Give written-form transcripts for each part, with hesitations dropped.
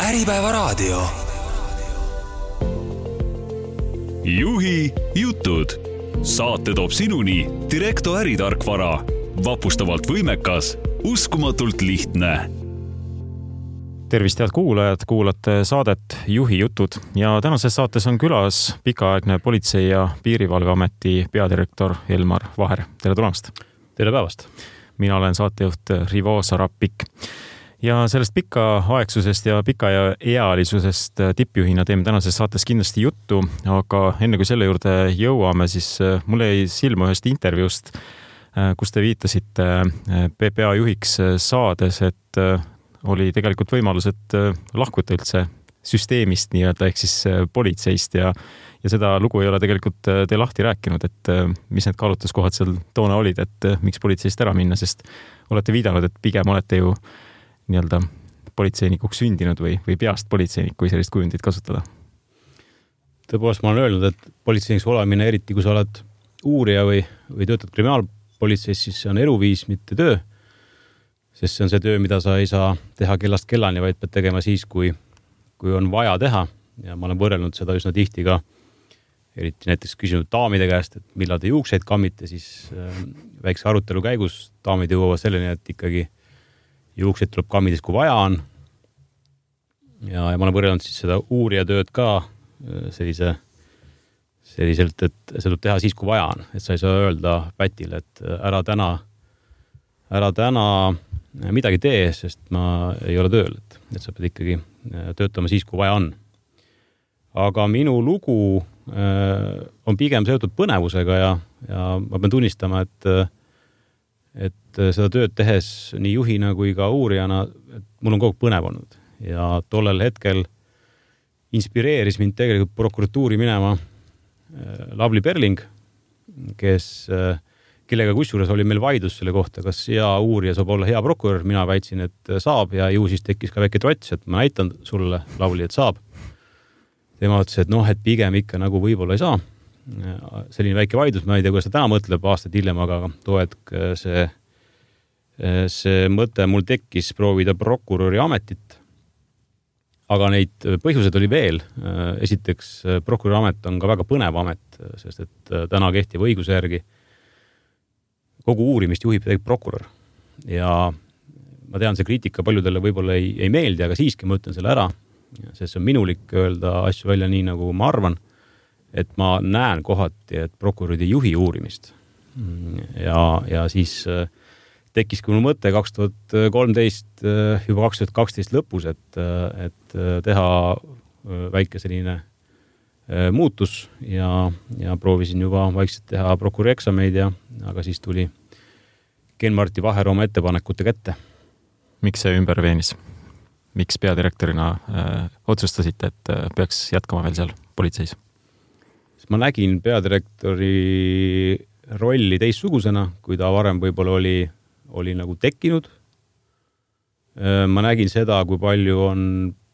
Äripäevaraadio. Juhi jutud. Saate toob sinuni Direkto äritarkvara. Vapustavalt võimekas, uskumatult lihtne. Tervist, head kuulajad, kuulate saadet Juhi jutud ja tänases saates on külas pikaaegne Politsei- ja Piirivalveameti peadirektor Elmar Vaher. Tere tulemast! Tere päevast! Mina olen saatejuht Rivo Sarapik. Ja sellest pikaaegsusest ja pikaealisusest tippjuhina teeme tänases saates kindlasti juttu, aga enne kui selle juurde jõuame, siis mulle jäi silma ühest intervjuust, kus te viitasite PPA juhiks saades, et oli tegelikult võimalus, et lahkuta üldse süsteemist nii-öelda, ehk siis politseist ja seda lugu ei ole tegelikult te lahti rääkinud, et mis need kaalutluskohad seal toona olid, et miks politseist ära minna, sest olete viidanud, et pigem olete ju nii-öelda politseinikuks sündinud või peast politseinik, kui sellist kujundit kasutada? Tõepoolest, ma olen öelnud, et politseiniks olemine, eriti kui sa oled uurija või töötad kriminaalpolitseis, siis see on eluviis, mitte töö. Sest see on see töö, mida sa ei saa teha kellast kellani, vaid pead tegema siis, kui on vaja teha. Ja ma olen võrrelnud seda üsna tihti ka, eriti näiteks küsinud daamide käest, et millal te juukseid kammite, siis väikse arutelu käigus daamid jõuavad selleni, et ikkagi juukseid tuleb kammida, kui vaja on. Ja ma olen võrrelnud siis seda uurija tööd ka selliselt, et see tuleb teha siis, kui vaja on. Et sa ei saa öelda pätile, et ära täna midagi tee, sest ma ei ole tööl. Et sa pead ikkagi töötama siis, kui vaja on. Aga minu lugu on pigem seotud põnevusega ja ma pean tunnistama, et seda tööd tehes nii juhina kui ka uurijana, et mul on kogu põnev olnud. Ja tollel hetkel inspireeris mind tegelikult prokuratuuri minema Lavly Perling, kellega kusjuures oli meil vaidlus selle kohta, kas hea uurija saab olla hea prokurör. Mina väitsin, et saab ja ju siis tekkis ka väike trots, et ma näitan sulle, Lavly, et saab. Tema ütles, et et pigem ikka nagu võib-olla ei saa. Selline väike vaidlus, ma ei tea, kuidas ta täna mõtleb aastaid hiljem, aga too hetk see mõte mul tekkis proovida prokuröri ametit. Aga neid põhjused oli veel. Esiteks, prokuröri amet on ka väga põnev amet, sest et täna kehtiva õiguse järgi kogu uurimist juhib prokurör. Ja ma tean, see kriitika paljudele võib-olla ei meeldi, aga siiski ma ütlen selle ära, sest see on minulik öelda asju välja nii, nagu ma arvan. Et ma näen kohati, et prokurörid ei juhi uurimist. Ja siis tekkiski mul mõte 2013, juba 2012 lõpus, et teha väike selline muutus ja proovisin juba vaikselt teha prokuröri eksameid, aga siis tuli Ken-Marti Vaher oma ettepanekute kätte. Miks see ümber veenis? Miks peadirektorina otsustasite, et peaks jätkama veel seal politseis? Ma nägin peadirektori rolli teistsugusena, kui ta varem võib-olla oli nagu tekkinud. Ma nägin seda, kui palju on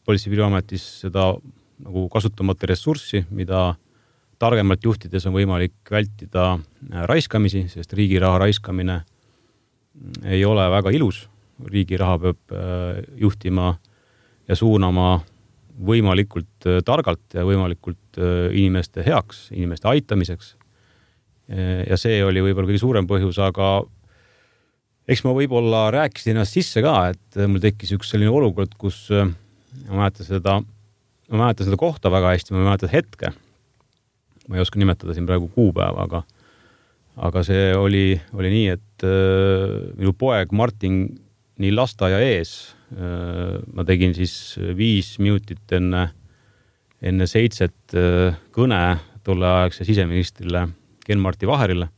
Politsei- ja Piirivalveametis seda nagu kasutamata ressurssi, mida targemalt juhtides on võimalik vältida raiskamisi, sest riigi raha raiskamine ei ole väga ilus. Riigi raha peab juhtima ja suunama võimalikult targalt ja võimalikult inimeste heaks, inimeste aitamiseks. Ja see oli võib-olla kõige suurem põhjus, aga eks ma võib-olla rääkisin ennast sisse ka, et mul tekkis üks selline olukord, kus ma mäletan seda kohta väga hästi, ma mäletan hetke. Ma ei oska nimetada siin praegu kuupäeva, aga see oli nii, et minu poeg Martin nii lasteaia ees ma tegin siis 5 minutit enne 7 kõne tolleaegse siseministrile Ken-Marti Vaherile.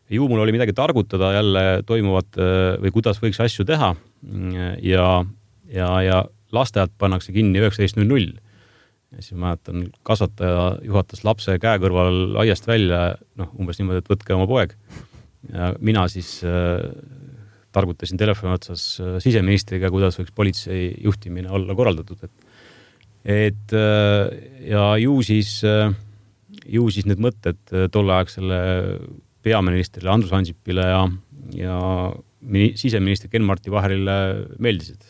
Ju mul oli midagi targutada jälle toimuvat või kuidas võiks asju teha ja lasteaiad pannakse kinni 19.00. Ja siis ma mäletan, kasvataja juhatas lapse käe kõrval aiast välja, umbes niimoodi, et võtke oma poeg. Ja mina siis targutasin telefoni otsas siseministriga, kuidas võiks politsei juhtimine olla korraldatud. Ja ju siis need mõtted tolleaegsele peaministrile Andrus Ansipile ja siseministri Ken-Marti Vaherile meeldisid.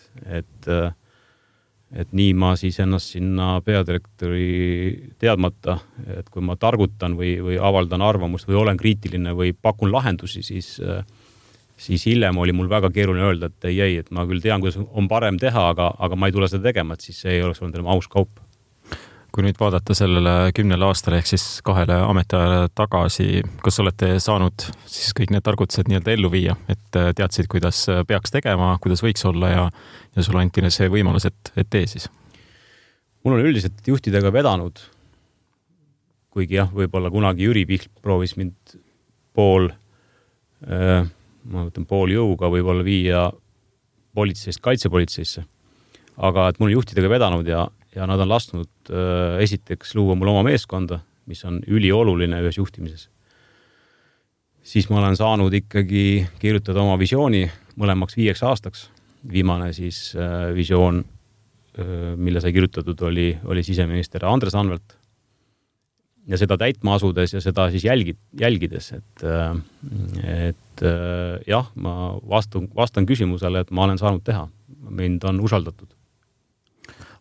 et nii ma siis ennast sinna peadirektori teadmata, et kui ma targutan või avaldan arvamust või olen kriitiline või pakun lahendusi, siis hiljem oli mul väga keeruline öelda, et ei, et ma küll tean, kuidas on parem teha, aga ma ei tule seda tegema, et siis see ei oleks olnud enam aus kaup. Kui nüüd vaadata sellele 10 aastale ehk siis 2 ametiajale tagasi, kas olete saanud siis kõik need targutused nii-öelda ellu viia, et teadsid, kuidas peaks tegema, kuidas võiks olla ja sulle anti see võimalus, et tee siis? Mul on üldiselt juhtidega vedanud, kuigi jah, võib-olla kunagi Jüri Pihl proovis mind pool jõuga võib-olla viia politseist kaitsepolitseisse, aga et mul on juhtidega vedanud ja nad on lasknud esiteks luua mul oma meeskonda, mis on ülioluline ühes juhtimises. Siis ma olen saanud ikkagi kirjutada oma visiooni mõlemaks 5 aastaks. Viimane siis visioon, mille sai kirjutatud, oli siseminister Andres Anvelt. Ja seda täitma asudes ja seda siis jälgides, et jah, ma vastan küsimusele, et ma olen saanud teha. Mind on usaldatud.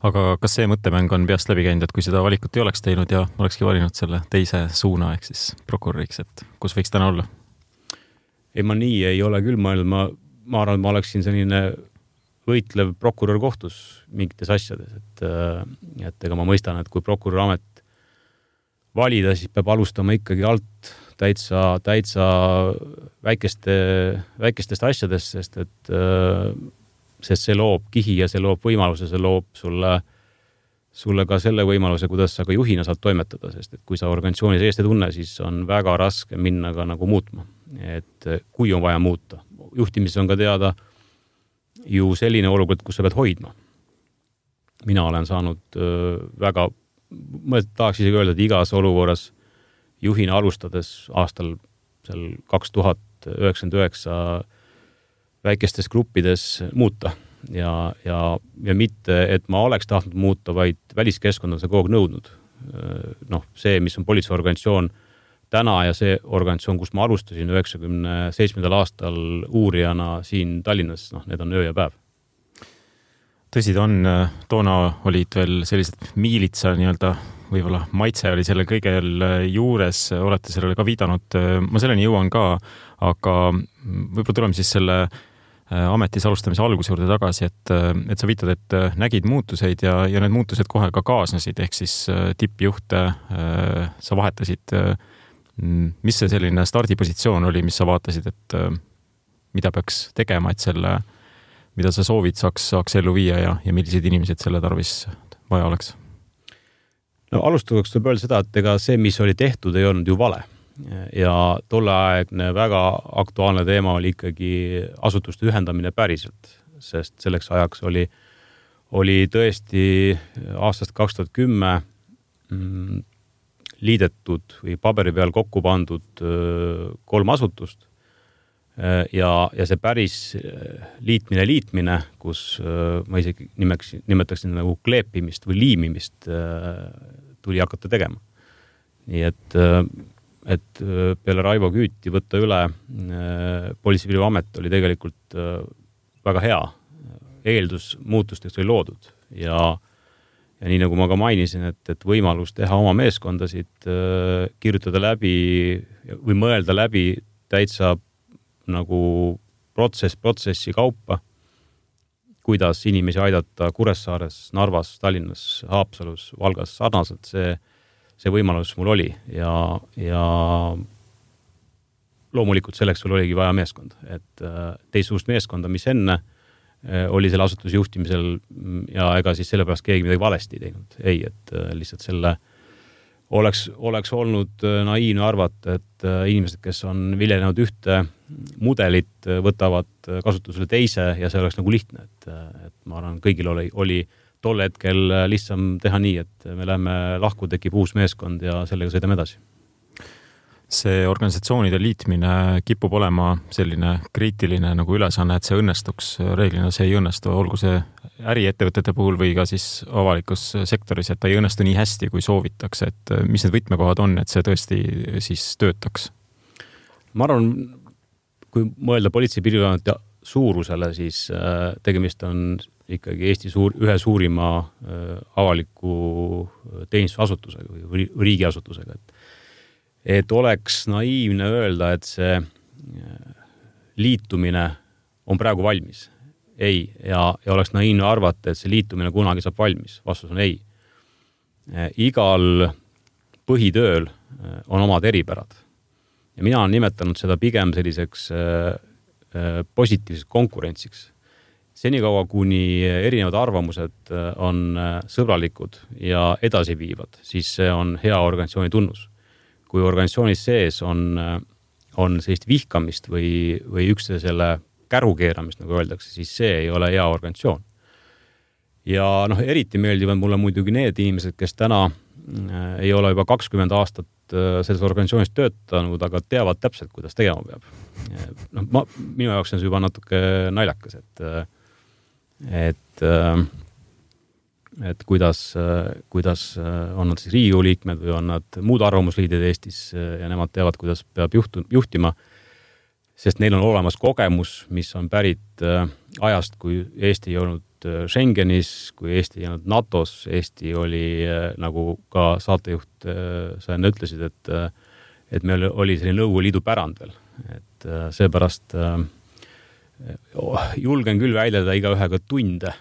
Aga kas see mõttemäng on peast läbi käinud, et kui seda valikut ei oleks teinud ja olekski valinud selle teise suuna ehk siis prokuröriks, et kus võiks täna olla? Ei, ma nii ei ole küll mõelnud. Ma arvan, et ma oleksin selline võitlev prokurör kohtus mingites asjades. Et ega ma mõistan, et kui prokuröri amet valida, siis peab alustama ikkagi alt täitsa väikestest asjadest, sest see loob kihi ja see loob võimaluse, see loob sulle ka selle võimaluse, kuidas sa ka juhina saad toimetada, sest et kui sa organisatsiooni seest ei tunne, siis on väga raske minna ka nagu muutma. Et kui on vaja muuta. Juhtimises on ka teada ju selline olukord, kus sa pead hoidma. Mina olen saanud väga, ma tahaks isegi öelda, et igas olukorras juhina alustades aastal 2099 väikestes gruppides muuta ja mitte, et ma oleks tahtnud muuta, vaid väliskeskkond on see kogu aeg nõudnud. See, mis on politseiorganisatsioon täna ja see organisatsioon, kus ma alustasin 97. aastal uurijana siin Tallinnas, need on öö ja päev. Tõsi ta on, toona olid veel sellised miilitsa nii-öelda, võib-olla maitse oli selle kõigel juures, olete sellele ka viidanud, ma selleni jõuan ka, aga võib-olla tuleme siis selle ametis alustamise alguse juurde tagasi, et sa viitad, et nägid muutuseid ja need muutused kohe ka kaasnesid, ehk siis tippjuhte sa vahetasid. Mis see selline stardipositsioon oli, mis sa vaatasid, et mida peaks tegema, et selle, mida sa soovid, saaks ellu viia ja millised inimesed selle tarvis vaja oleks? No alustuseks tuleb öelda seda, et ega see, mis oli tehtud, ei olnud ju vale. Ja tolleaegne väga aktuaalne teema oli ikkagi asutuste ühendamine päriselt, sest selleks ajaks oli tõesti aastast 2010 liidetud või paberi peal kokku pandud 3 asutust ja see päris liitmine, kus ma isegi nimetaksin nagu kleepimist või liimimist tuli hakata tegema. Nii et peale Raivo Küüti võtta üle Politsei- ja Piirivalveamet oli tegelikult väga hea. Eeldus muutusteks oli loodud ja nii nagu ma ka mainisin, et võimalus teha oma meeskondasid, kirjutada läbi või mõelda läbi täitsa nagu protsessi kaupa, kuidas inimesi aidata Kuressaares, Narvas, Tallinnas, Haapsalus, Valgas sarnaselt, see võimalus mul oli ja loomulikult selleks sul oligi vaja meeskond, et teistsugust meeskonda, mis enne oli selle asutuse juhtimisel ja ega siis sellepärast keegi midagi valesti teinud. Ei, et lihtsalt selle oleks olnud naiivne arvata, et inimesed, kes on viljelenud ühte mudelit, võtavad kasutusele teise ja see oleks nagu lihtne, et ma arvan, kõigil oli tol hetkel lihtsam teha nii, et me läheme lahku, tekib uus meeskond ja sellega sõidame edasi. See organisatsioonide liitmine kipub olema selline kriitiline nagu ülesanne, et see õnnestuks. Reeglina see ei õnnestu, olgu see äriettevõtete puhul või ka siis avalikus sektoris, et ta ei õnnestu nii hästi, kui soovitakse. Et mis need võtmekohad on, et see tõesti siis töötaks? Ma arvan, kui mõelda Politsei- ja Piirivalveameti suurusele, siis tegemist on ikkagi Eesti ühe suurima avaliku teenistusasutusega või riigiasutusega. Et oleks naiivne öelda, et see liitumine on praegu valmis. Ei. Ja oleks naiivne arvata, et see liitumine kunagi saab valmis. Vastus on ei. Igal põhitööl on omad eripärad. Ja mina olen nimetanud seda pigem selliseks positiivseks konkurentsiks. Senikaua, kuni erinevad arvamused on sõbralikud ja edasiviivad, siis see on hea organisatsiooni tunnus. Kui organisatsioonis sees on sellist vihkamist või üksteisele kärukeeramist, nagu öeldakse, siis see ei ole hea organisatsioon. Ja eriti meeldivad mulle muidugi need inimesed, kes täna ei ole juba 20 aastat selles organisatsioonis töötanud, aga teavad täpselt, kuidas tegema peab. Minu jaoks on see juba natuke naljakas, et kuidas on nad siis Riigikogu liikmed või on nad muud arvamusliidid Eestis ja nemad teavad, kuidas peab juhtima, sest neil on olemas kogemus, mis on pärit ajast, kui Eesti ei olnud Schengenis, kui Eesti ei olnud NATOs, Eesti oli, nagu ka saatejuht sa enne ütlesid, et meil oli selline Nõukogude Liidu pärand veel. Et seepärast julgen küll väljada igaühega tunde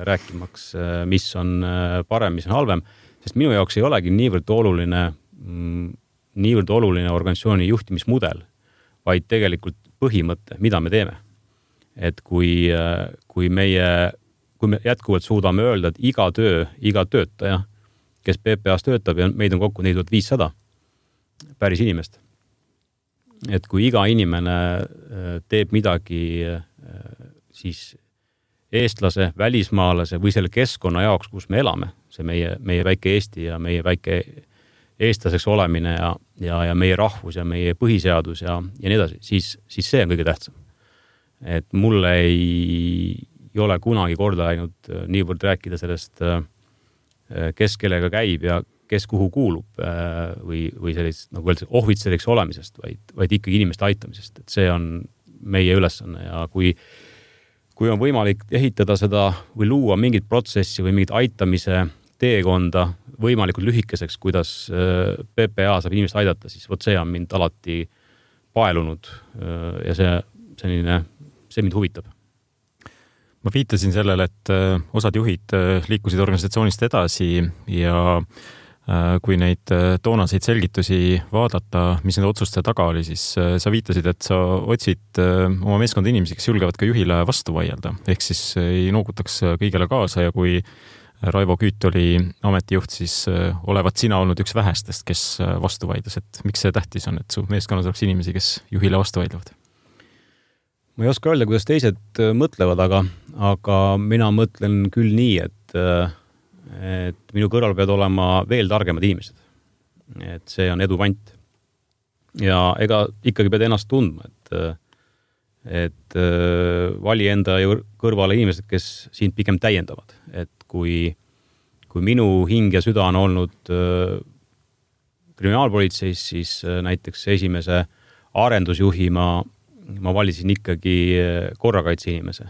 rääkimaks, mis on parem, mis on halvem, sest minu jaoks ei olegi niivõrd oluline organisatsiooni juhtimismudel, vaid tegelikult põhimõte, mida me teeme. Et kui me jätkuvalt suudame öelda, et iga töötaja, kes PPA-s töötab ja meid on kokku 4500 päris inimest, et kui iga inimene teeb midagi siis eestlase, välismaalase või selle keskkonna jaoks, kus me elame, see meie väike Eesti ja meie väike eestlaseks olemine ja meie rahvus ja meie põhiseadus ja nii edasi, siis see on kõige tähtsam. Et mulle ei ole kunagi korda ainult niivõrd rääkida sellest, kes kellega käib ja kes kuhu kuulub või sellist, nagu öeldakse, ohvitseriks olemisest, vaid ikkagi inimeste aitamisest. Et see on meie ülesanne ja kui on võimalik ehitada seda või luua mingit protsessi või mingit aitamise teekonda võimalikult lühikeseks, kuidas PPA saab inimest aidata, siis see on mind alati paelunud ja see mind huvitab. Ma viitasin sellele, et osad juhid liikusid organisatsioonist edasi ja kui neid toonaseid selgitusi vaadata, mis nende otsuste taga oli, siis sa viitasid, et sa otsid oma meeskonda inimesi, kes julgevad ka juhile vastu vaielda. Ehk siis ei noogutaks kõigele kaasa ja kui Raivo Küüt oli ametijuht, siis olevat sina olnud üks vähestest, kes vastu vaidles. Et miks see tähtis on, et su meeskonnas oleks inimesi, kes juhile vastu vaidlevad? Ma ei oska öelda, kuidas teised mõtlevad, aga mina mõtlen küll nii, et minu kõrval peavad olema veel targemad inimesed. Et see on edu pant. Ja ega ikkagi pead ennast tundma, et vali enda kõrvale inimesed, kes sind pigem täiendavad. Et kui minu hing ja süda on olnud kriminaalpolitseis, siis näiteks esimese arendusjuhi ma valisin ikkagi korrakaitse inimese.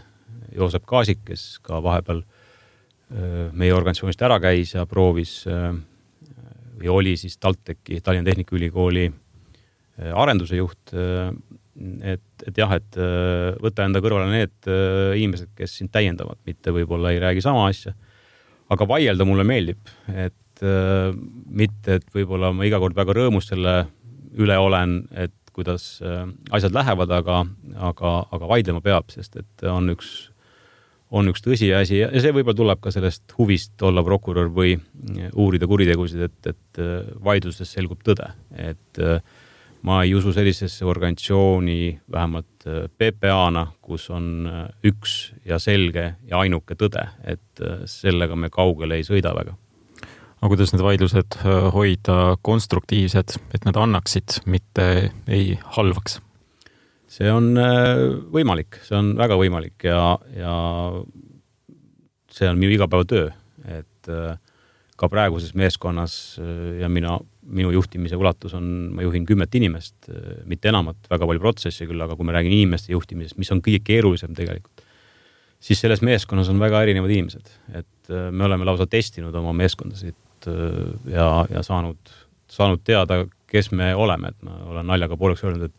Joosep Kaasik, kes ka vahepeal meie organisatsioonist ära käis ja proovis või oli siis TalTechi, Tallinna Tehnikaülikooli arenduse juht, et võtta enda kõrvale need inimesed, kes sind täiendavad, mitte võib-olla ei räägi sama asja. Aga vaielda mulle meeldib, et mitte, et võib-olla ma iga kord väga rõõmus selle üle olen, et kuidas asjad lähevad, aga vaidlema peab, sest et on üks tõsiasi ja see võib-olla tuleb ka sellest huvist olla prokurör või uurida kuritegusid, et vaidlustes selgub tõde. Et ma ei usu sellisesse organisatsiooni, vähemalt PPA-na, kus on üks ja selge ja ainuke tõde, et sellega me kaugele ei sõida väga. Aga kuidas need vaidlused hoida konstruktiivsed, et nad annaksid, mitte ei halvaks? See on võimalik, see on väga võimalik ja see on minu igapäevatöö, et ka praeguses meeskonnas ja minu juhtimise ulatus on, ma juhin 10 inimest, mitte enamat, väga palju protsessi küll, aga kui me räägin inimeste juhtimisest, mis on kõige keerulisem tegelikult, siis selles meeskonnas on väga erinevad inimesed, et me oleme lausa testinud oma meeskondasid ja saanud teada, kes me oleme, et ma olen naljaga pooleks öelnud,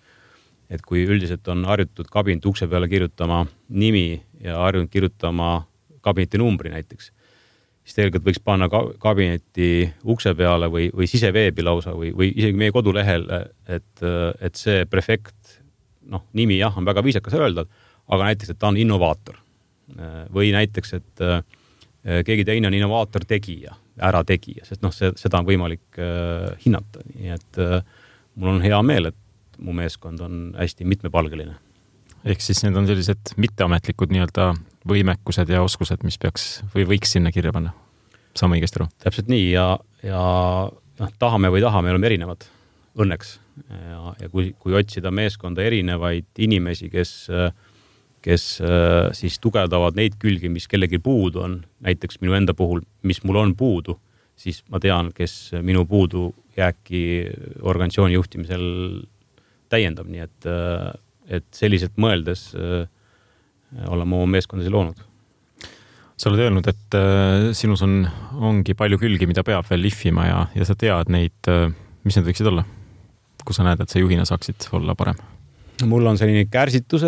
et kui üldiselt on harjutud kabineti ukse peale kirjutama nimi ja harjunud kirjutama kabineti numbri näiteks, siis tegelikult võiks panna kabineti ukse peale või siseveebi lausa või isegi meie kodulehel, et see prefekt, nimi jah, on väga viisakas öelda, aga näiteks, et ta on innovaator või näiteks, et keegi teine on innovaator tegija, ära tegija, sest seda on võimalik hinnata. Nii et mul on hea meel, et mu meeskond on hästi mitmepalgeline. Ehk siis need on sellised mitteametlikud nii-öelda võimekused ja oskused, mis peaks või võiks sinna kirja panna. Saame õigesti aru? Täpselt nii ja tahame või tahame, me oleme erinevad õnneks. Ja kui otsida meeskonda erinevaid inimesi, kes siis tugevdavad neid külgi, mis kellegi puudu on, näiteks minu enda puhul, mis mul on puudu, siis ma tean, kes minu puudu jääki organisatsiooni juhtimisel täiendab, nii et selliselt mõeldes oleme oma meeskondasi loonud. Sa oled öelnud, et sinus ongi palju külgi, mida peab veel lihvima ja sa tead neid, mis need võiksid olla? Kui sa näed, et sa juhina saaksid olla parem? Mul on selline kärsitu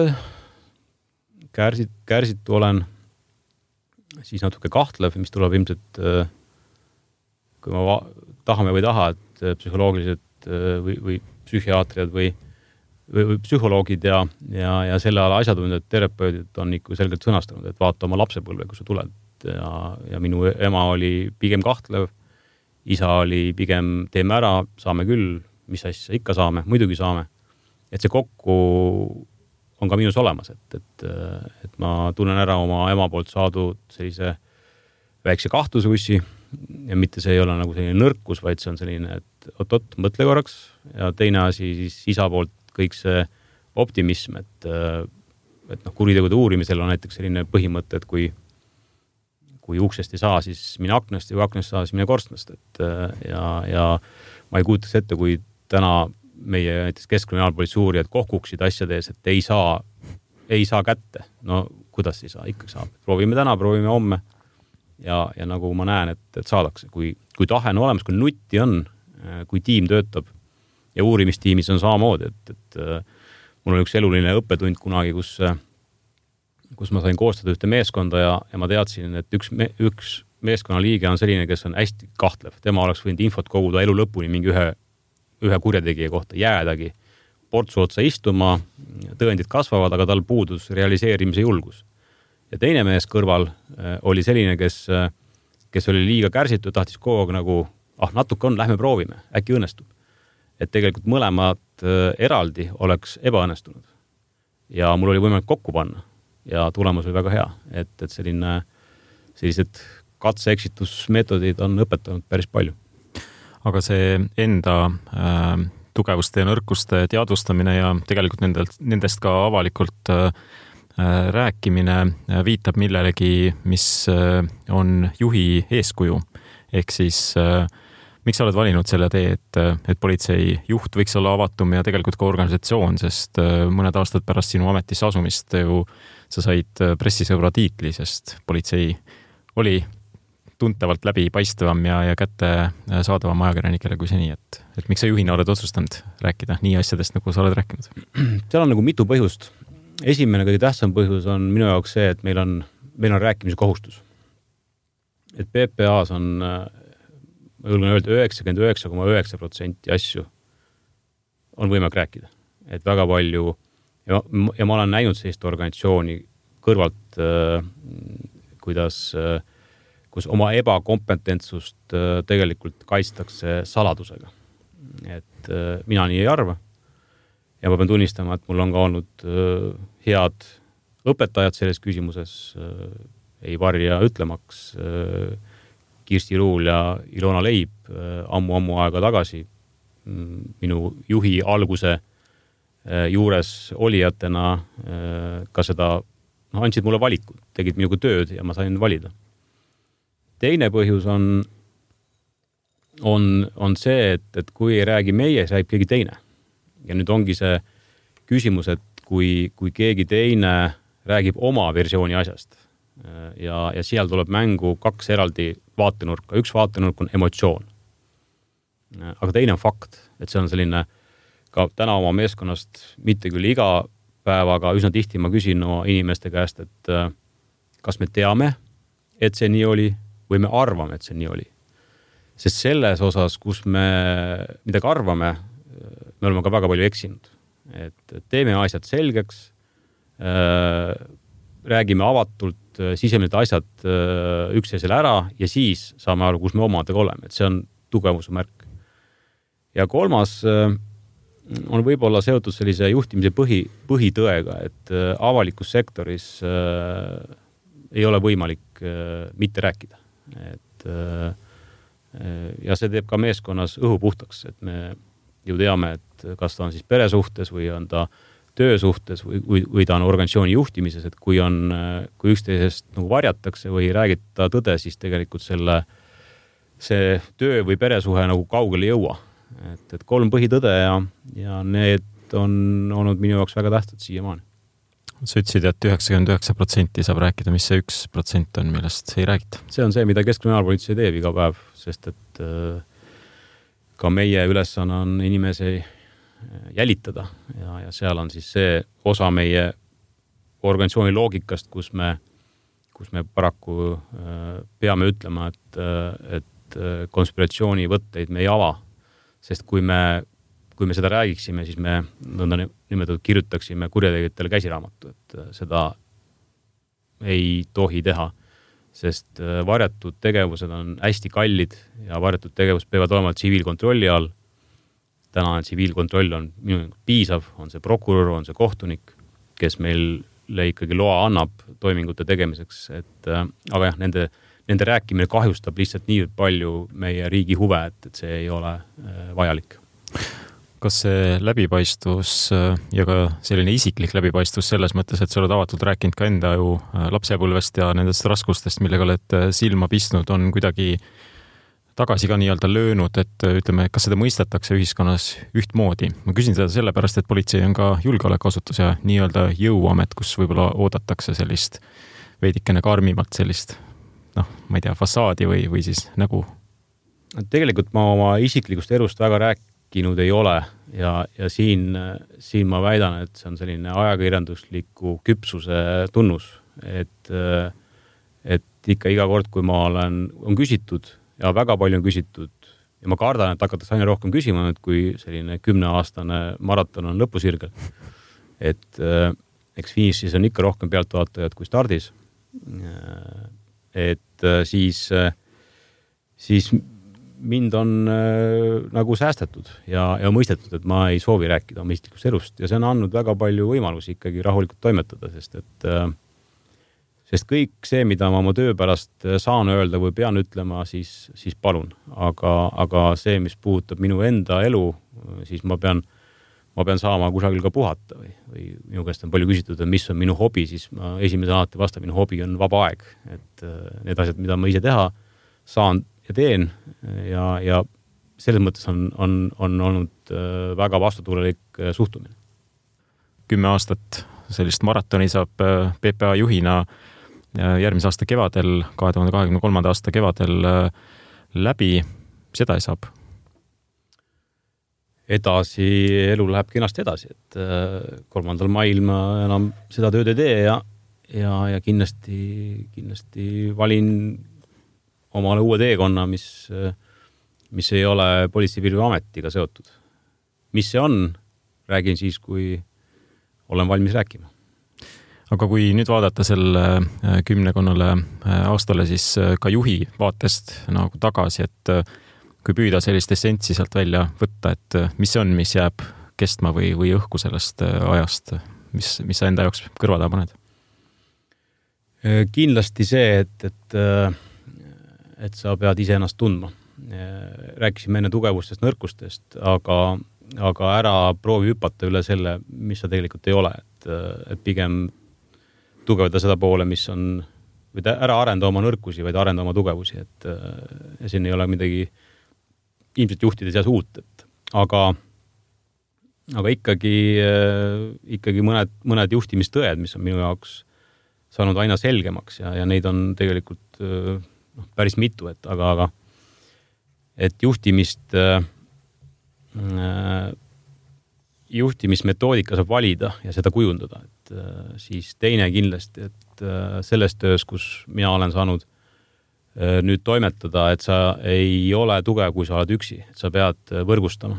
olen, siis natuke kahtlev, mis tuleb ilmselt, kui ma tahame või taha, et psühholoogilised või psühhiaatriad või psühholoogid ja selle ala asjatundjad, terapeudid on ikka selgelt sõnastanud, et vaata oma lapsepõlve, kui sa tuled ja minu ema oli pigem kahtlev, isa oli pigem teeme ära, saame küll, mis asja ikka saame, muidugi saame. Et see kokku on ka minus olemas, et ma tunnen ära oma ema poolt saadud sellise väikse kahtlusussi ja mitte see ei ole nagu selline nõrkus, vaid see on selline, et oot, mõtle korraks ja teine asi siis isa poolt kõik see optimism, et kuritegude uurimisel on näiteks selline põhimõte, et kui uksest ei saa, siis mine aknast ja kui aknast saa, siis mine korstnast. Ja ma ei kuutaks ette, kui täna meie näiteks keskkriminaalpolitsei uurijad kohkuksid asjades, et ei saa kätte. No kuidas ei saa? Ikkagi saab. Proovime täna, proovime homme ja nagu ma näen, et saadakse. Kui tahe on olemas, kui nutti on, kui tiim töötab ja uurimistiimis on samamoodi, et mul on üks eluline õppetund kunagi, kus ma sain koostada ühte meeskonda ja ma teadsin, et üks meeskonnaliige on selline, kes on hästi kahtlev. Tema oleks võinud infot koguda elu lõpuni mingi ühe kurjategija kohta, jäädagi portsu otsa istuma, tõendid kasvavad, aga tal puudus realiseerimise julgus. Ja teine mees kõrval oli selline, kes oli liiga kärsitud, tahtis kogu aeg nagu, natuke on, lähme proovime, äkki õnnestub. Et tegelikult mõlemad eraldi oleks ebaõnnestunud. Ja mul oli võimalik kokku panna ja tulemus oli väga hea. Et sellised katse-eksitusmeetodid on õpetanud päris palju. Aga see enda tugevuste ja nõrkuste teadvustamine ja tegelikult nendest ka avalikult rääkimine viitab millelegi, mis on juhi eeskuju. Ehk siis miks sa oled valinud selle tee, et politsei juht võiks olla avatum ja tegelikult ka organisatsioon, sest mõned aastad pärast sinu ametisse asumist ju sa said pressisõbra tiitli, sest politsei oli tuntavalt läbipaistvam ja kätte saadavam ajakirjanikele kui seni, et miks sa juhina oled otsustanud rääkida nii asjadest, nagu sa oled rääkinud? Seal on nagu mitu põhjust. Esimene kõige tähtsam põhjus on minu jaoks see, et meil on rääkimise kohustus. Et PPA-s on ma julgen öelda 99,9% asju on võimalik rääkida. Et väga palju ja ma olen näinud sellist organisatsiooni kõrvalt, kus oma ebakompetentsust tegelikult kaitstakse saladusega. Et mina nii ei arva. Ja ma pean tunnistama, et mul on ka olnud head õpetajad selles küsimuses, ei varja ütlemaks, Kirsti Ruul ja Ilona Leib ammu aega tagasi minu juhi alguse juures olijatena ka seda andsid mulle valikud, tegid minuga tööd ja ma sain valida. Teine põhjus on see, et kui ei räägi meie, siis räägib keegi teine. Ja nüüd ongi see küsimus, et kui keegi teine räägib oma versiooni asjast. Ja seal tuleb mängu 2 eraldi vaatenurka. Üks vaatenurk on emotsioon. Aga teine on fakt, et see on selline ka täna oma meeskonnast mitte küll iga päev, aga üsna tihti ma küsin oma inimeste käest, et kas me teame, et see nii oli või me arvame, et see nii oli. Sest selles osas, kus me midagi arvame, me oleme ka väga palju eksinud. Et teeme asjad selgeks, räägime avatult, sisemilid asjad üksteisele ära ja siis saame aru, kus me omadega oleme. Et see on tugevuse märk. Ja kolmas on võib-olla seotud sellise juhtimise põhitõega, et avalikus sektoris ei ole võimalik mitte rääkida. Et, ja see teeb ka meeskonnas õhu puhtaks, et me ju teame, et kas ta on siis peresuhtes või on ta töösuhtes või ta on organisatsiooni juhtimises, et kui üksteisest nagu varjatakse või räägita tõde, siis tegelikult see töö või peresuhe nagu kaugele ei jõua. Et 3 põhitõde ja need on olnud minu jaoks väga tähtsad siiamaani. Sa ütlesid, et 99% saab rääkida, mis see 1% on, millest ei räägita. See on see, mida Keskkriminaalpolitsei teeb iga päev, sest et ka meie ülesanne on inimesi jälitada ja seal on siis see osa meie organisatsiooni loogikast, kus me paraku peame ütlema, et konspiratsiooni võtteid me ei ava, sest kui me seda räägiksime, siis me nimetatud kirjutaksime kurjategijatele käsiraamatu, et seda ei tohi teha, sest varjatud tegevused on hästi kallid ja varjatud tegevus peavad olema tsiviilkontrolli all. Täna tsiviilkontroll on minu piisav, on see prokurör, on see kohtunik, kes meile ikkagi loa annab toimingute tegemiseks, aga jah, nende rääkimine kahjustab lihtsalt nii palju meie riigi huve, et see ei ole vajalik. Kas see läbipaistvus ja ka selline isiklik läbipaistvus selles mõttes, et sa oled avatult rääkinud ka enda ju lapsepõlvest ja nendest raskustest, millega oled silma pistnud, on kuidagi tagasi ka nii-öelda löönud, et ütleme, kas seda mõistetakse ühiskonnas ühtmoodi? Ma küsin seda sellepärast, et politsei on ka julgeolekuasutus ja nii-öelda jõuamet, kus võib-olla oodatakse sellist veidikene karmimalt sellist, ma ei tea, fassaadi või siis nägu. Tegelikult ma oma isiklikust elust väga rääkinud ei ole ja siin ma väidan, et see on selline ajakirjandusliku küpsuse tunnus, et ikka iga kord, kui ma on küsitud ja väga palju on küsitud ja ma kardan, et hakatakse aina rohkem küsima, et kui selline 10-aastane maraton on lõpusirgel. Et eks finišis on ikka rohkem pealtvaatajad kui stardis. Et siis mind on nagu säästetud ja mõistetud, et ma ei soovi rääkida oma isiklikust elust ja see on andnud väga palju võimalusi ikkagi rahulikult toimetada, sest kõik see, mida ma oma töö pärast saan öelda või pean ütlema, siis palun. Aga see, mis puudutab minu enda elu, siis ma pean saama kusagil ka puhata või minu käest on palju küsitud, et mis on minu hobi, siis ma esimese alati vastan, minu hobi on vaba aeg. Et need asjad, mida ma ise teha saan ja teen ja selles mõttes on olnud väga vastutuulelik suhtumine. 10 aastat sellist maratoni saab PPA juhina järgmise aasta kevadel, 2023. aasta kevadel läbi, seda ei saab. Edasi, elu läheb kenasti edasi, et 3. mail ma enam seda tööd ei tee ja kindlasti valin omale uue teekonna, mis ei ole Politsei- ja Piirivalveametiga seotud. Mis see on, räägin siis, kui olen valmis rääkima. Aga kui nüüd vaadata selle 10 aastale, siis ka juhi vaatest nagu tagasi, et kui püüda sellist essentsi sealt välja võtta, et mis see on, mis jääb kestma või õhku sellest ajast, mis sa enda jaoks kõrvada paned? Kindlasti see, et sa pead ise ennast tundma. Rääkisime enne tugevustest, nõrkustest, aga ära proovi hüpata üle selle, mis sa tegelikult ei ole, et pigem tugevda seda poole, mis on, või ära arenda oma nõrkusi, vaid arenda oma tugevusi, et siin ei ole midagi ilmselt juhtide seas uut, aga ikkagi mõned juhtimistõed, mis on minu jaoks saanud aina selgemaks ja neid on tegelikult päris mitu, aga et juhtimismetoodika saab valida ja seda kujundada, et siis teine kindlasti, et selles töös, kus mina olen saanud nüüd toimetada, et sa ei ole tugev, kui sa oled üksi, et sa pead võrgustama.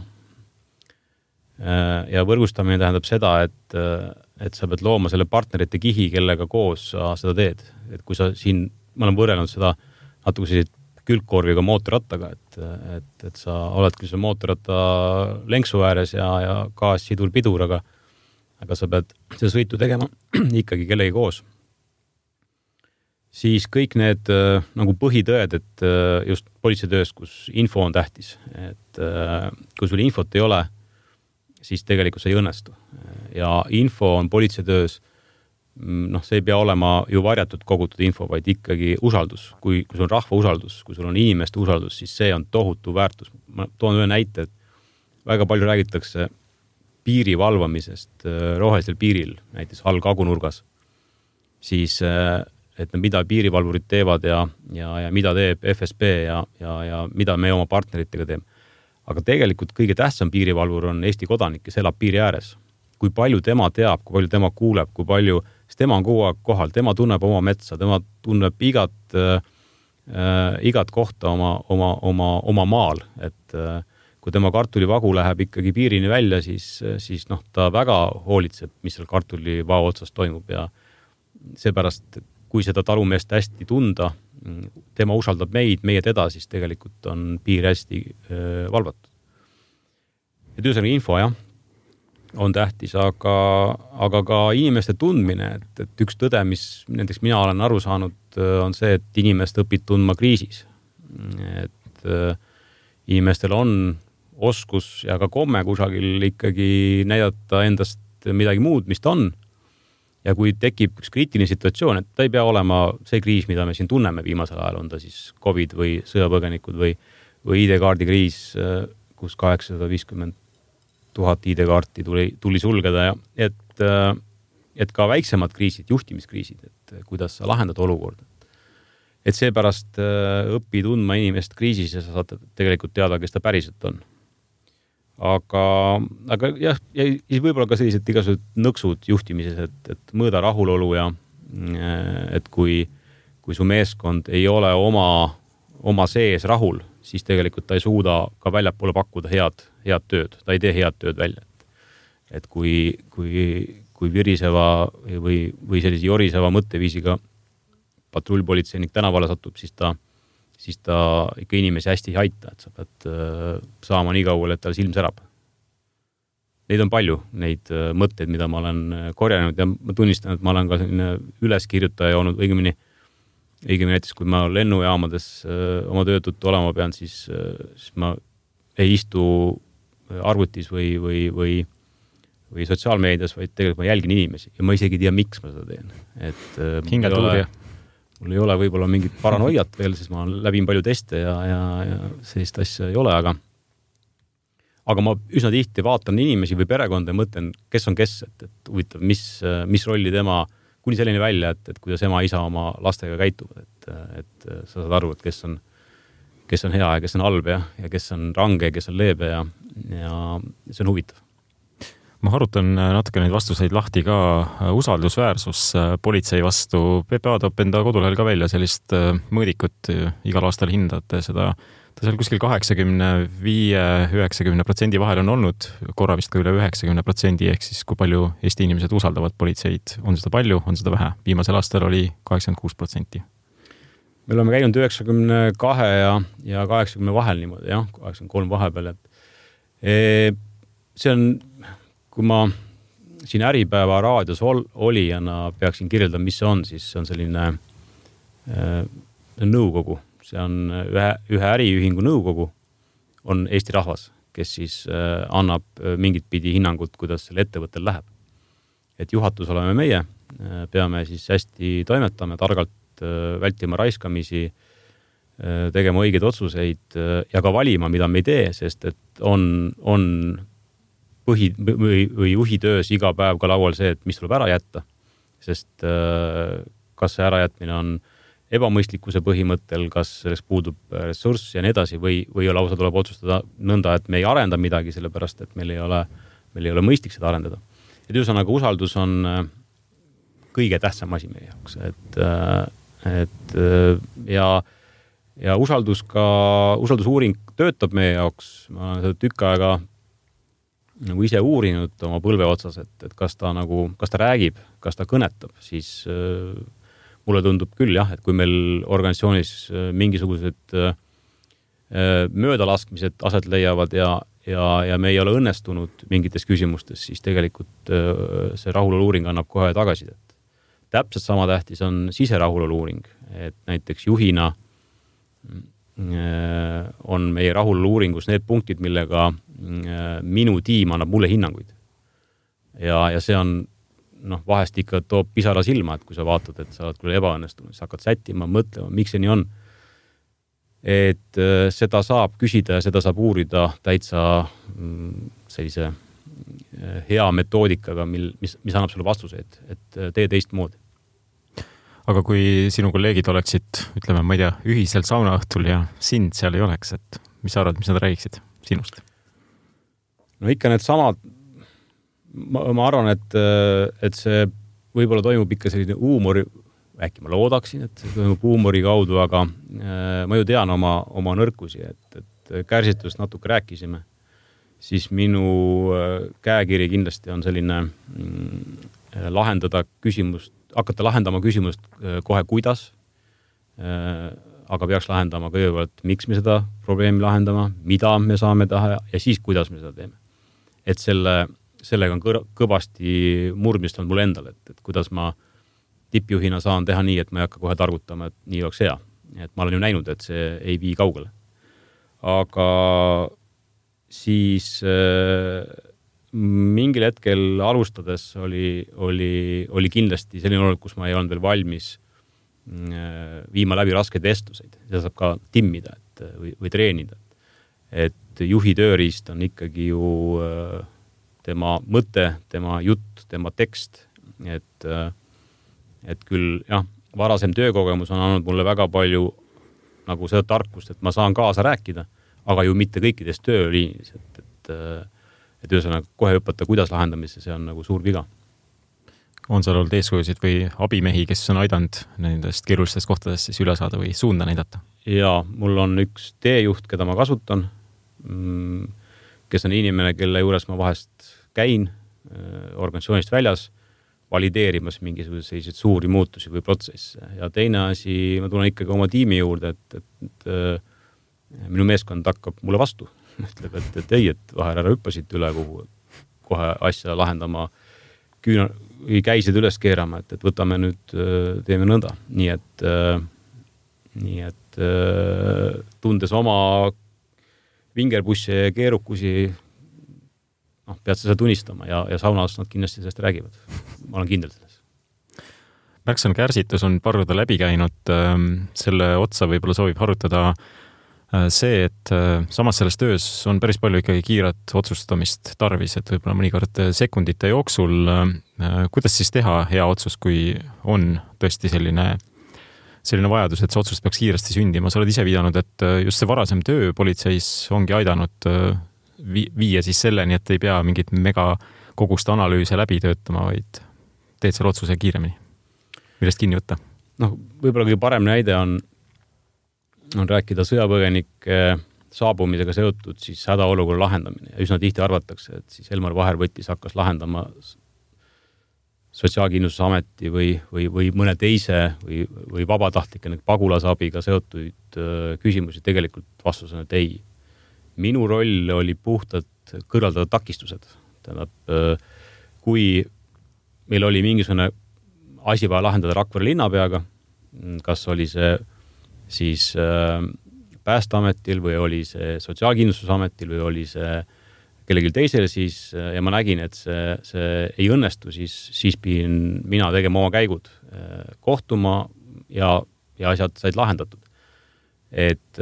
Ja võrgustamine tähendab seda, et sa pead looma selle partnerite kihi, kellega koos sa seda teed. Et kui sa siin, ma olen võrrelnud seda natuke selliseid külgkorviga mootorrattaga, et sa oled küll see mootorratta lenksu ääres ja gaas, sidur, pidur, aga sa pead seda sõitu tegema ikkagi kellegi koos. Siis kõik need nagu põhitõed, et just politseitöös, kus info on tähtis, et kui sul infot ei ole, siis tegelikult see ei õnnestu. Ja info on politseitöös, see ei pea olema ju varjatud kogutud info, vaid ikkagi usaldus. Kui sul on rahva usaldus, kui sul on inimeste usaldus, siis see on tohutu väärtus. Ma toon ühe näite, et väga palju räägitakse piiri valvamisest rohelisel piiril, näiteks all kagunurgas. Siis, et mida piirivalvurid teevad ja mida teeb FSB ja mida me oma partneritega teeme. Aga tegelikult kõige tähtsam piirivalvur on Eesti kodanik, kes elab piiri ääres. Kui palju tema teab, kui palju tema kuuleb, kui palju, sest tema on kogu aeg kohal, tema tunneb oma metsa, tema tunneb igat kohta oma maal, et kui tema kartulivagu läheb ikkagi piirini välja, siis ta väga hoolitseb, mis seal kartulivao otsas toimub ja seepärast, kui seda talumeest hästi tunda, tema usaldab meid, meie teda, siis tegelikult on piir hästi valvatud. Ja töösõnaga info, jah, on tähtis, aga ka inimeste tundmine, et üks tõde, mis näiteks mina olen aru saanud, on see, et inimest õpid tundma kriisis. Et inimestel on oskus ja ka komme kusagil ikkagi näidata endast midagi muud, mis ta on. Ja kui tekib üks kriitiline situatsioon, et ta ei pea olema see kriis, mida me siin tunneme viimasel ajal, on ta siis COVID või sõjapõgenikud või ID-kaardi kriis, kus 850 000 ID-kaarti tuli sulgeda ja et ka väiksemad kriisid, juhtimiskriisid, et kuidas sa lahendad olukorda. Et seepärast õpi tundma inimest kriisis ja sa saad tegelikult teada, kes ta päriselt on. Aga jah, ja võib-olla ka sellised igasugused nõksud juhtimises, et mõõda rahulolu ja et kui su meeskond ei ole oma sees rahul, siis tegelikult ta ei suuda ka väljapoole pakkuda head tööd. Ta ei tee head tööd välja. Et kui viriseva või sellise joriseva mõtteviisiga patrullpolitseinik tänavale satub, siis ta ikka inimesi hästi ei aita, et sa pead saama nii kaugele, et tal silm särab. Neid on palju, neid mõtteid, mida ma olen korjanud ja ma tunnistan, et ma olen ka selline üleskirjutaja olnud õigemini näiteks, kui ma lennujaamades oma töötuttu olema pean, siis ma ei istu arvutis või sotsiaalmeedias, vaid tegelikult ma jälgin inimesi ja ma isegi ei tea, miks ma seda teen. Et mul ei ole võib-olla mingit paranoiat veel, sest ma läbin palju teste ja sellist asja ei ole, aga ma üsna tihti vaatan inimesi või perekonda ja mõtlen, kes on kes, et huvitav, mis rolli tema, kuni selline välja, et kuidas ema isa oma lastega käituvad, et sa saad aru, et kes on hea ja kes on halb ja kes on range ja kes on leebe ja see on huvitav. Ma harutan natuke neid vastuseid lahti ka usaldusväärsus politsei vastu. PPA toob enda kodulehel ka välja sellist mõõdikut igal aastal hindate seda. Ta seal kuskil 85-90% vahel on olnud, korra vist ka üle 90%, ehk siis kui palju Eesti inimesed usaldavad politseid. On seda palju, on seda vähe. Viimasel aastal oli 86%. Me oleme käinud 92 ja 80 vahel niimoodi, jah, 83 vahepeal. See on... Kui ma siin Äripäeva raadios olijana peaksin kirjeldama, mis see on, siis see on selline nõukogu. See on ühe äriühingu nõukogu, on Eesti rahvas, kes siis annab mingit pidi hinnangut, kuidas selle ettevõttel läheb. Et juhatus oleme meie, peame siis hästi toimetama, targalt vältima raiskamisi, tegema õigeid otsuseid ja ka valima, mida me ei tee, sest et on või juhitöös iga päev ka laual see, et mis tuleb ära jätta. Sest kas see ärajätmine on ebamõistlikkuse põhimõttel, kas selleks puudub ressurss ja nii edasi või lausa tuleb otsustada nõnda, et me ei arenda midagi, sellepärast et meil ei ole mõistlik seda arendada. Et ühesõnaga usaldus on kõige tähtsam asi meie jaoks, ja usaldusuuring töötab meie jaoks, ma olen seda tükk aega nagu ise uurinud oma põlve otsas, et kas ta räägib, kas ta kõnetab, siis mulle tundub küll jah, et kui meil organisatsioonis mingisugused möödalaskmised aset leiavad ja me ei ole õnnestunud mingites küsimustes, siis tegelikult see rahulolu-uuring annab kohe tagasisidet. Täpselt sama tähtis on siserahulolu-uuring, et näiteks juhina on meie rahulolu-uuringus need punktid, millega minu tiim annab mulle hinnanguid. Ja see on vahest ikka toob pisara silma, et kui sa vaatad, et sa oled küll ebaõnnestunud, sa hakkad sättima, mõtlema, miks see nii on. Et seda saab küsida ja seda saab uurida täitsa sellise hea metoodikaga, mis annab sulle vastuseid, et tee teistmoodi. Aga kui sinu kolleegid oleksid, ütleme, ma ei tea, ühisel saunaõhtul ja sind seal ei oleks, et mis sa arvad, mis nad räägiksid sinust? No ikka need samad, ma arvan, et see võib-olla toimub ikka selline huumori, äkki ma loodaksin, et see toimub huumori kaudu, aga ma ju tean oma nõrkusi, et kärsitust natuke rääkisime, siis minu käekiri kindlasti on selline hakata lahendama küsimust kohe kuidas, aga peaks lahendama kõigepealt, miks me seda probleemi lahendama, mida me saame taha ja siis kuidas me seda teeme. Et sellega on kõvasti murdmist on mul endal, et kuidas ma tippjuhina saan teha nii, et ma ei hakka kohe targutama, et nii oleks hea. Et ma olen ju näinud, et see ei vii kaugele. Aga siis mingil hetkel alustades oli kindlasti selline olukord, kus ma ei olnud veel valmis viima läbi raskeid vestluseid. Seda saab ka timmida või treenida. Et juhi tööriist on ikkagi ju tema mõte, tema jutt, tema tekst. Et küll jah, varasem töökogemus on andnud mulle väga palju nagu seda tarkust, et ma saan kaasa rääkida, aga ju mitte kõikides tööliinis. Et ühesõnaga kohe õpata, kuidas lahendamisse, see on nagu suur viga. On seal olnud eeskujusid või abimehi, kes on aidanud nendest keerulistest kohtadest siis üle saada või suunda näidata? Jaa, mul on üks teejuht, keda ma kasutan, kes on inimene, kelle juures ma vahest käin organisatsioonist väljas, valideerimas mingisugused sellised suuri muutusi või protsesse. Ja teine asi, ma tulen ikkagi oma tiimi juurde, et minu meeskond hakkab mulle vastu. Ütleb, et ei, et vahel ära hüppasid üle, kuhu kohe asja lahendama, käisid üles keerama, et võtame nüüd, teeme nõnda. Nii et tundes oma vingerbusse ja keerukusi, pead seda tunnistama ja saunas nad kindlasti sellest räägivad. Ma olen kindel selles. Märksan kärsitus on parruda läbi käinud. Selle otsa võib-olla soovib harutada see, et samas selles töös on päris palju ikkagi kiiret otsustamist tarvis, et võib-olla mõnikord sekundite jooksul. Kuidas siis teha hea otsus, kui on tõesti selline vajadus, et see otsus peaks kiiresti sündima? Sa oled ise viidanud, et just see varasem töö politseis ongi aidanud viia siis selleni, et ei pea mingit megakoguste analüüse läbi töötama, vaid teed selle otsuse kiiremini. Millest kinni võtta? Võib-olla kõige parem näide on rääkida sõjapõgenike saabumisega seotud siis hädaolukorra lahendamine. Ja üsna tihti arvatakse, et siis Elmar Vaher hakkas lahendama Sotsiaalkindlustusameti või mõne teise või vabatahtlike pagulasabiga seotud küsimusi. Tegelikult vastus on, et ei. Minu roll oli puhtalt kõrvaldada takistused. Tähendab, kui meil oli mingisugune asi vaja lahendada Rakvere linnapeaga, kas oli see siis Päästeametil või oli see Sotsiaalkindlustusametil või oli see kellelgi teisele, siis, ja ma nägin, et see ei õnnestu, siis pidin mina tegema oma käigud, kohtuma ja asjad said lahendatud. Et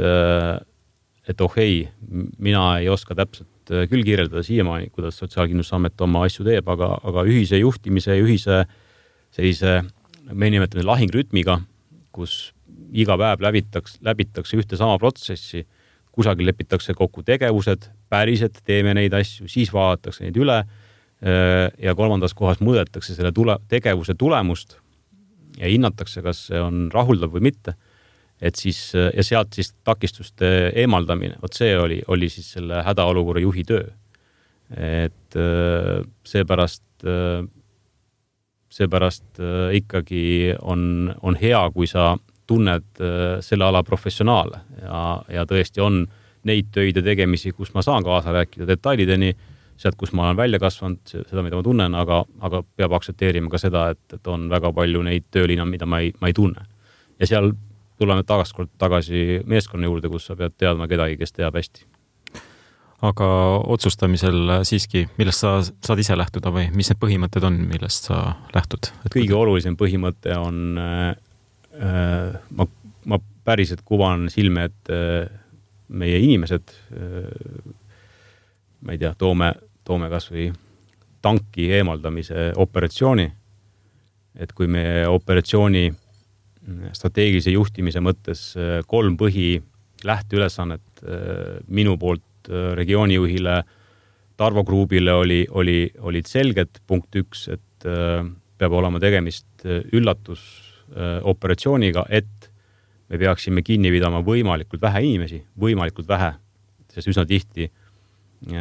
mina ei oska täpselt küll kirjeldada siiamaani, kuidas Sotsiaalkindlustusamet oma asju teeb, aga ühise juhtimise, ühise sellise me nimetame lahingrütmiga, kus iga päev läbitakse ühte sama protsessi, kusagil lepitakse kokku tegevused, päriselt teeme neid asju, siis vaadatakse neid üle ja kolmandas kohas mõõdetakse selle tegevuse tulemust ja hinnatakse, kas see on rahuldav või mitte. Et siis, ja sealt siis takistuste eemaldamine, vot see oli siis selle hädaolukorra juhi töö. Et seepärast ikkagi on hea, kui sa tunned selle ala professionaale ja tõesti on neid töid ja tegemisi, kus ma saan kaasa rääkida detailideni, sealt, kus ma olen välja kasvanud, seda, mida ma tunnen, aga peab aktsepteerima ka seda, et on väga palju neid tööliina, mida ma ei tunne. Ja seal tuleme tagasi meeskonna juurde, kus sa pead teadma kedagi, kes teab hästi. Aga otsustamisel siiski, millest sa saad ise lähtuda või mis need põhimõtted on, millest sa lähtud? Kõige olulisem põhimõte on, ma päriselt kuvan silme, et meie inimesed, ma ei tea, toome kas või tanki eemaldamise operatsiooni, et kui meie operatsiooni strateegilise juhtimise mõttes 3 põhi lähteülesannet minu poolt regioonijuhile Tarvo Kruubile olid selged. Punkt 1, et peab olema tegemist üllatusoperatsiooniga, et me peaksime kinni pidama võimalikult vähe inimesi, sest üsna tihti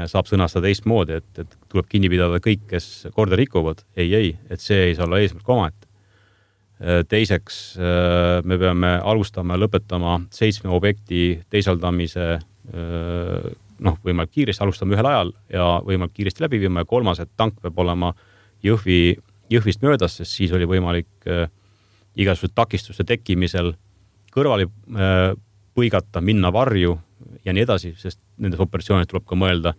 saab sõnastada teistmoodi, et tuleb kinni pidada kõik, kes korda rikuvad. Ei, et see ei saa olla eesmärk omaette. Teiseks, me peame alustama ja lõpetama 7 objekti teisaldamise võimalik kiiresti, alustame ühel ajal ja võimalik kiiresti läbi viima ja 3, et tank peab olema Jõhvist möödas, sest siis oli võimalik igasugused takistuste tekkimisel kõrvale põigata, minna varju ja nii edasi, sest nendes operatsioonid tuleb ka mõelda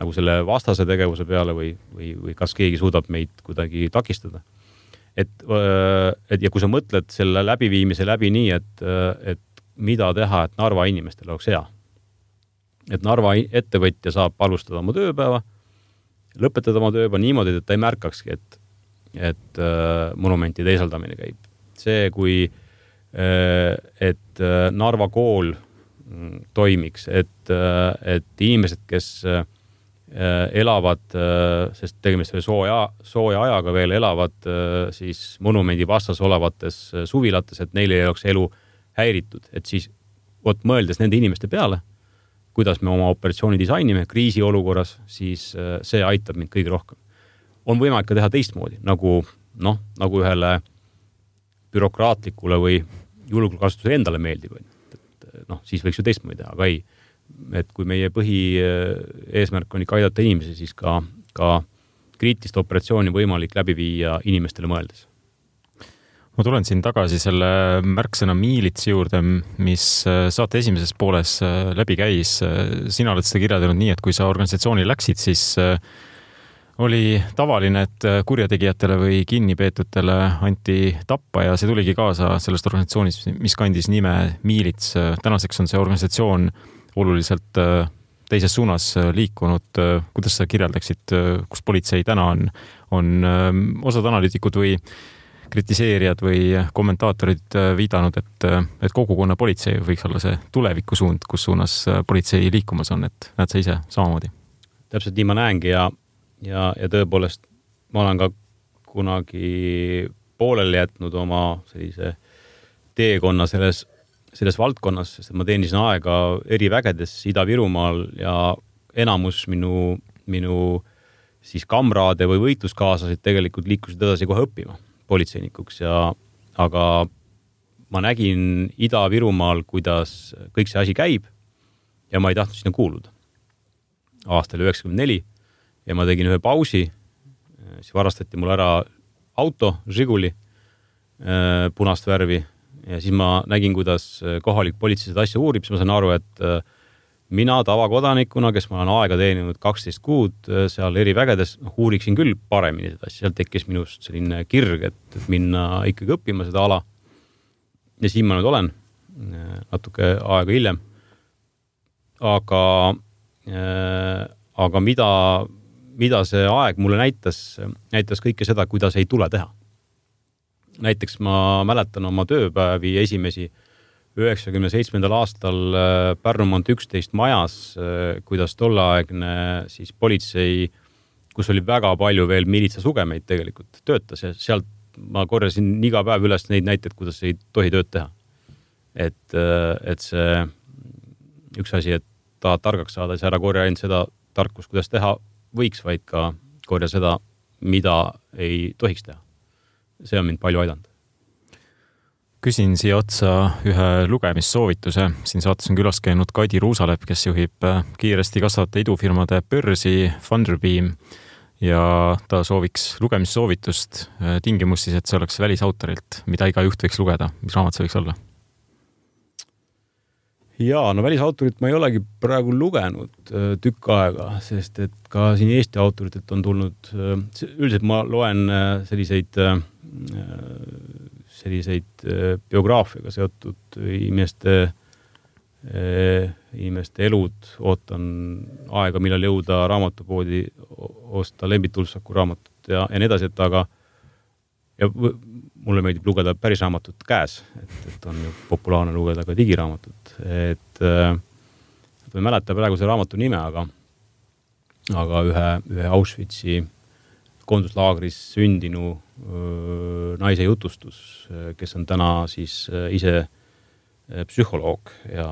nagu selle vastase tegevuse peale või kas keegi suudab meid kuidagi takistada. Et ja kui sa mõtled selle läbiviimise läbi nii, et mida teha, et Narva inimestel oleks hea. Et Narva ettevõtja saab alustada oma tööpäeva, lõpetada oma tööpäeva niimoodi, et ta ei märkakski, et monumenti teisaldamine käib. See, kui et Narva kool toimiks, et inimesed, kes elavad, sest tegemist oli sooja ajaga veel, elavad siis monumendi vastas olevates suvilates, et neil ei oleks elu häiritud. Et siis mõeldes nende inimeste peale, kuidas me oma operatsiooni disainime kriisiolukorras, siis see aitab mind kõige rohkem. On võimalik ka teha teistmoodi, nagu ühele bürokraatlikule või julgeolekukasutusele endale meeldib. Siis võiks ju teistmoodi teha, aga ei. Et kui meie põhieesmärk on ikka aidata inimesi, siis ka kriitilist operatsiooni võimalik läbi viia inimestele mõeldes. Ma tulen siin tagasi selle märksõna miilits juurde, mis saate esimeses pooles läbi käis. Sina oled seda kirjeldanud nii, et kui sa organisatsiooni läksid, siis oli tavaline, et kurjategijatele või kinnipeetutele anti tappa ja see tuligi kaasa sellest organisatsioonist, mis kandis nime Miilits. Tänaseks on see organisatsioon oluliselt teises suunas liikunud. Kuidas sa kirjeldaksid, kus politsei täna on osad analüütikud või kritiseerijad või kommentaatorid viidanud, et kogukonna politsei võiks olla see tulevikusuund, kus suunas politsei liikumas on, et näed sa ise samamoodi? Täpselt nii ma näengi ja tõepoolest ma olen ka kunagi pooleli jätnud oma sellise teekonna selles valdkonnas, sest ma teenisin aega erivägedes Ida-Virumaal ja enamus minu siis kamraade või võitluskaaslasid tegelikult liikusid edasi kohe õppima politseinikuks aga ma nägin Ida-Virumaal, kuidas kõik see asi käib ja ma ei tahtnud sinna kuuluda. Aastal 94 ja ma tegin ühe pausi, siis varastati mul ära auto, Žiguli, punast värvi ja siis ma nägin, kuidas kohalik politsei seda asja uurib, siis ma sain aru, et mina tavakodanikuna, kes ma olen aega teeninud 12 kuud seal erivägedes, uuriksin küll paremini seda asja. Seal tekkis minust selline kirg, et minna ikkagi õppima seda ala. Ja siin ma nüüd olen natuke aega hiljem. Aga mida see aeg mulle näitas kõike seda, kuidas ei tule teha. näiteks ma mäletan oma tööpäevi esimesi 97. aastal Pärnumaalt 11 majas, kuidas tolleaegne siis politsei, kus oli väga palju veel militsasugemeid tegelikult töötas ja sealt ma korjasin iga päev üles neid näiteid, kuidas ei tohi tööd teha. Et see üks asi, et tahad targaks saada, siis ära korja ainult seda tarkus, kuidas teha võiks, vaid ka korja seda, mida ei tohiks teha. See on mind palju aidanud. Küsin siia otsa ühe lugemissoovituse. Siin saates on külas käinud Kadi Ruusalepp, kes juhib kiiresti kasvavate idufirmade börsi Funderbeam ja ta sooviks lugemissoovitust tingimus siis, et see oleks välisautorilt, mida iga juht võiks lugeda. Mis raamat see võiks olla? Jaa, no välisautorit ma ei olegi praegu lugenud tükk aega, sest et ka siin Eesti autoritelt on tulnud, üldiselt ma loen selliseid biograafiaga seotud inimeste elud, ootan aega, millal jõuda raamatupoodi, osta Lembit Ulfsaku raamatut ja nii edasi, aga mulle meeldib lugeda päris raamatut käes, et on ju populaarne lugeda ka digiraamatut. Ma ei mäleta praegu see raamatu nime, aga ühe Auschwitzi koonduslaagris sündinu naise jutustus, kes on täna siis ise psühholoog ja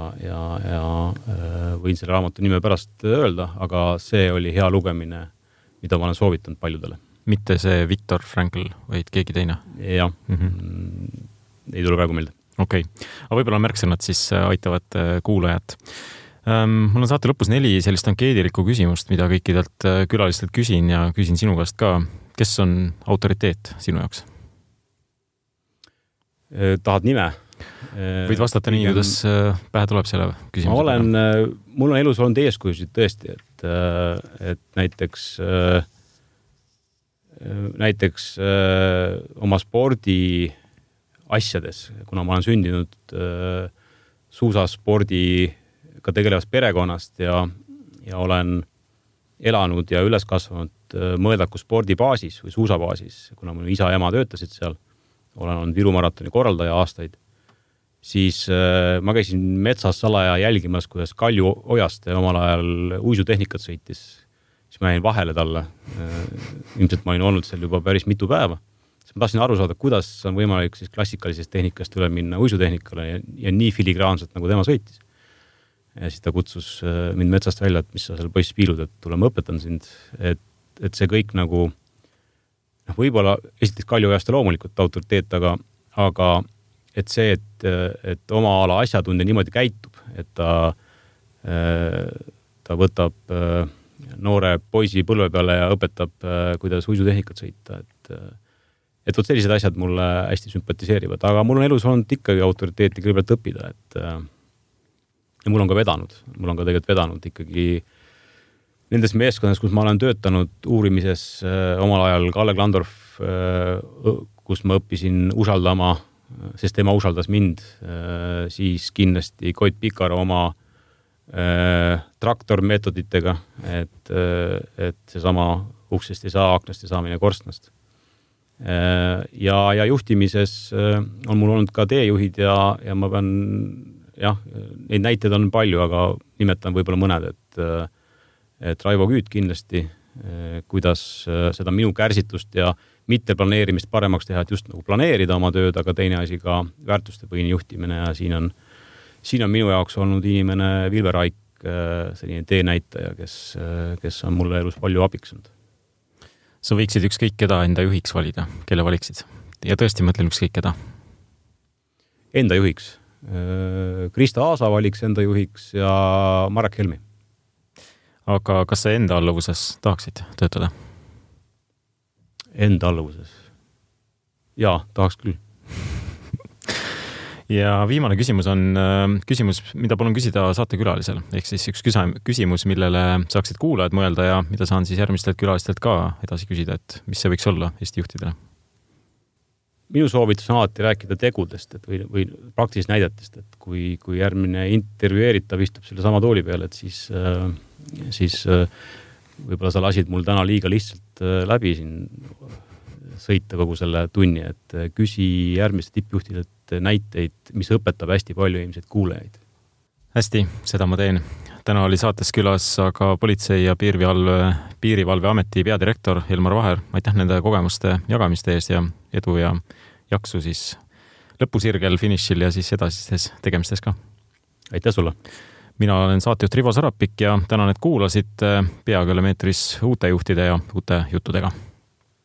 võin selle raamatu nime pärast öelda, aga see oli hea lugemine, mida ma olen soovitanud paljudele. Mitte see Viktor Frankl, vaid keegi teine? Jah, ei tule praegu meelde. Okei. Aga võib-olla märksõnad siis aitavad kuulajat. Mul on saate lõpus 4 sellist ankeediriku küsimust, mida kõikidelt külalistelt küsin ja küsin sinu käest ka. Kes on autoriteet sinu jaoks? Tahad nime? Võid vastata nii, kuidas pähe tuleb selle küsimuse. Mul on elus olnud eeskujusid tõesti, et näiteks oma spordi asjades, kuna ma olen sündinud suusaspordiga tegelevast perekonnast ja olen elanud ja üles kasvanud Mõõdaku spordibaasis või suusabaasis, kuna minu isa ja ema töötasid seal, olen olnud Viru maratoni korraldaja aastaid, siis ma käisin metsas salaja jälgimas, kuidas Kalju Ojaste omal ajal uisutehnikat sõitis, siis ma jäin vahele talle. Ilmselt ma olin olnud seal juba päris mitu päeva. Ma tahtsin aru saada, kuidas on võimalik siis klassikalisest tehnikast üle minna uisutehnikale ja nii filigraanselt, nagu tema sõitis. Ja siis ta kutsus mind metsast välja, et mis sa seal poiss piilud, et tule ma õpetan sind, et see kõik nagu võib-olla esiteks Kalju Ojaste loomulikult autoriteet, aga et see, et oma ala asjatundja niimoodi käitub, et ta võtab noore poisi põlve peale ja õpetab, kuidas uisutehnikat sõita, et võt sellised asjad mulle hästi sümpatiseerivad, aga mul on elus olnud ikkagi autoriteeti kõigepealt õppida, ja mul on ka vedanud ikkagi nendes meeskondades, kus ma olen töötanud uurimises omal ajal Kalle Klandorf, kus ma õppisin usaldama, sest tema usaldas mind, siis kindlasti Koit Pikar oma traktormeetoditega, et seesama uksest ei saa, aknast ei saa mine korstnast. Ja juhtimises on mul olnud ka teejuhid ja ma pean, neid näiteid on palju, aga nimetan võib-olla mõned, et Raivo Küüt kindlasti, kuidas seda minu kärsitust ja mitte planeerimist paremaks teha, et just nagu planeerida oma tööd, aga teine asi ka väärtuste põhine juhtimine ja siin on minu jaoks olnud inimene Vilver Raik, selline teenäitaja, kes on mulle elus palju abiksanud. Sa võiksid ükskõik keda enda juhiks valida, kelle valiksid? Ja tõesti mõtlen ükskõik keda. Enda juhiks. Krista Aasa valiks enda juhiks ja Marek Helmi. Aga kas sa enda alluvuses tahaksid töötada? Enda alluvuses? Jaa, tahaks küll. Ja viimane küsimus on küsimus, mida palun küsida saatekülalisel. Ehk siis üks küsimus, millele saaksid kuulajad mõelda ja mida saan siis järgmistelt külalistelt ka edasi küsida, et mis see võiks olla Eesti juhtidele? Minu soovitus on alati rääkida tegudest või praktilisest näidetest, et kui järgmine intervjueeritav istub selle sama tooli peale, et siis võib-olla sa lasid mul täna liiga lihtsalt läbi siin sõita kogu selle tunni, et küsi järgmiste tippjuhtidelt näiteid, mis õpetab hästi palju inimesed kuulajaid. Hästi, seda ma teen. Täna oli saates külas aga Politsei- ja Piirivalveameti peadirektor Elmar Vaher. Aitäh nende kogemuste jagamiste eest ja edu ja jaksu siis lõpusirgel, finišil ja siis edasistes tegemistes ka. Aitäh sulle! Mina olen saatejuht Rivo Sarapik ja tänan, et kuulasid. Peagi oleme eetris uute juhtide ja uute juttudega.